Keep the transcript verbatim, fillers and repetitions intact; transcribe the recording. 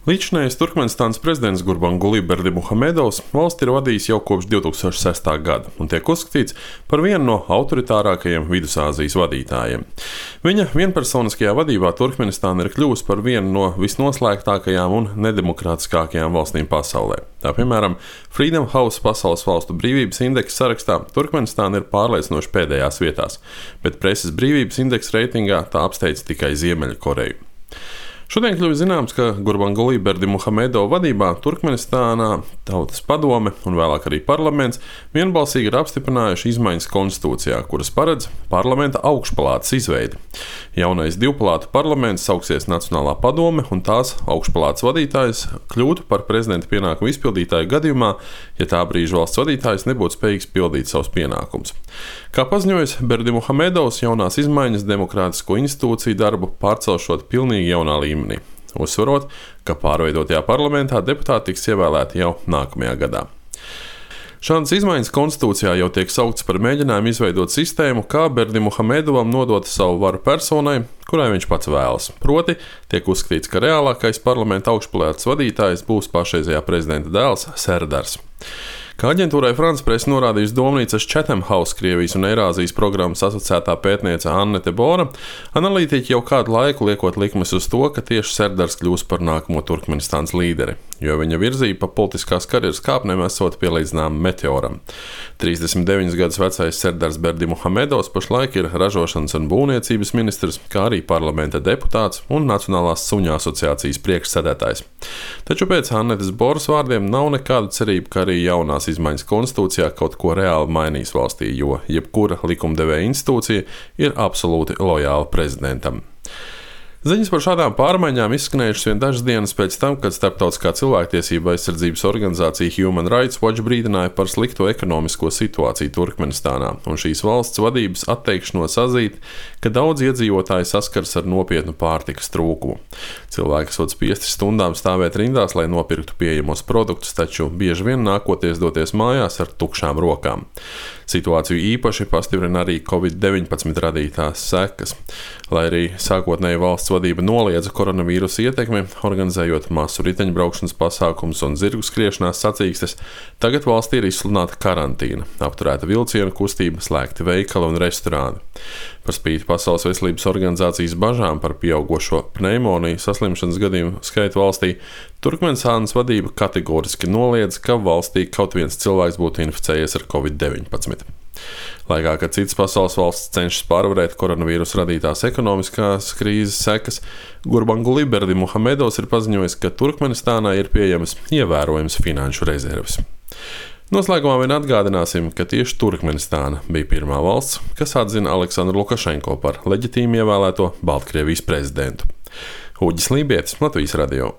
Līdzinājais Turkmenistānas prezidents Gurbanguly Berdimuhamedovs valsti ir vadījis jau kopš divi tūkstoši sestā gada un tiek uzskatīts par vienu no autoritārākajiem Vidusāzijas vadītājiem. Viņa vienpersoniskajā vadībā Turkmenistāna ir kļuvusi par vienu no visnoslēgtākajām un nedemokrātiskākajām valstīm pasaulē. Tā piemēram, Freedom House pasaules valstu brīvības indeksa sarakstā Turkmenistāna ir pārliecinoši pēdējās vietās, bet preses brīvības indeksa reitingā tā apsteidz tikai Ziemeļkoreju. Šodien kļuvis zināms, ka Gurbanguly Berdimuhamedova vadībā Turkmenistānā Tautas padome un vēlāk arī parlaments vienbalsīgi ir apstiprinājuši izmaiņas konstitūcijā, kuras paredz parlamenta augšpalātas izveidi. Jaunais divpalātu parlaments sauksies Nacionālā padome un tās augšpalātas vadītājs kļūtu par prezidenta pienākumu izpildītāju gadījumā, ja tā brīža valsts vadītājs nebūtu spējīgs pildīt savus pienākumus. Kā paziņojis Berdimuhamedovs, jaunās izmaiņas demokrātisko institūciju darbu pārcelšot pilnīgi jaunā līmenī, uzsverot, ka pārveidotajā parlamentā deputāti tiks ievēlēti jau nākamajā gadā. Šādas izmaiņas konstitūcijā jau tiek sauktas par mēģinājumu izveidot sistēmu, kā Berdimuhamedovam nodot savu varu personai, kurai viņš pats vēlas. Proti, tiek uzskatīts, ka reālākais parlamenta augšpalātas vadītājs būs pašreizējā prezidenta dēls Serdars. Kā aģentūrai France Press norādījusi domnīcas Chatham House Krievijas un Eirāzijas programmas asociētā pētniece Annete Bora, analītiķi jau kādu laiku liekot likmes uz to, ka tieši Serdars kļūs par nākamo Turkmenistānas līderi, jo viņa virzība pa politiskās karjeras kāpnēm esot pielīdzināma meteoram. trīsdesmit deviņus gadus vecais Serdars Berdimuhamedovs pašlaik ir ražošanas un būvniecības ministrs, kā arī parlamenta deputāts un Nacionālās suņu asociācijas priekšsēdētājs. Taču pēc Annetes Boras vārdiem nav nekāda cerība, ka arī jaunās izmaiņas konstitūcijā kaut ko reāli mainīs valstī, jo jebkura likumdevēja institūcija ir absolūti lojāla prezidentam. Ziņas par šādām pārmaiņām izskanējušas vien dažas dienas pēc tam, kad starptautiskā cilvēktiesība aizsardzības organizācija Human Rights Watch brīdināja par slikto ekonomisko situāciju Turkmenistānā un šīs valsts vadības atteikšanos atzīt, ka daudz iedzīvotāji saskars ar nopietnu pārtikas trūkumu. Cilvēki esot spiesti stundām stāvēt rindās, lai nopirktu pieejamos produktus, taču bieži vien nākoties doties mājās ar tukšām rokām. Situāciju īpaši pastiprina arī covid deviņpadsmit radītās sekas. Lai arī sākotnēji valsts vadība noliedza koronavīrusa ietekmi, organizējot masu riteņbraukšanas pasākumus un zirgu skriešanās sacīkstes, tagad valstī ir izsludināta karantīna, apturēta vilcienu kustība, slēgti veikali un restorāni. Par spīti Pasaules veselības organizācijas bažām par pieaugošo pneimoniju saslimšanas gadījumu skaitu valstī, Turkmenistānas vadība kategoriski noliedz, ka valstī kaut viens cilvēks būtu inficējies ar covid deviņpadsmit. Laikā, kad citas pasaules valsts cenšas pārvarēt koronavīrusa radītās ekonomiskās krīzes sekas, Gurbanguly Berdimuhamedovs ir paziņojis, ka Turkmenistānā ir pieejamas ievērojamas finanšu rezerves. Noslēgumā vien atgādināsim, ka tieši Turkmenistāna bija pirmā valsts, kas atzina Aleksandru Lukašenko par leģitīmi ievēlēto Baltkrievijas prezidentu. Uģis Lībietis, Latvijas radio.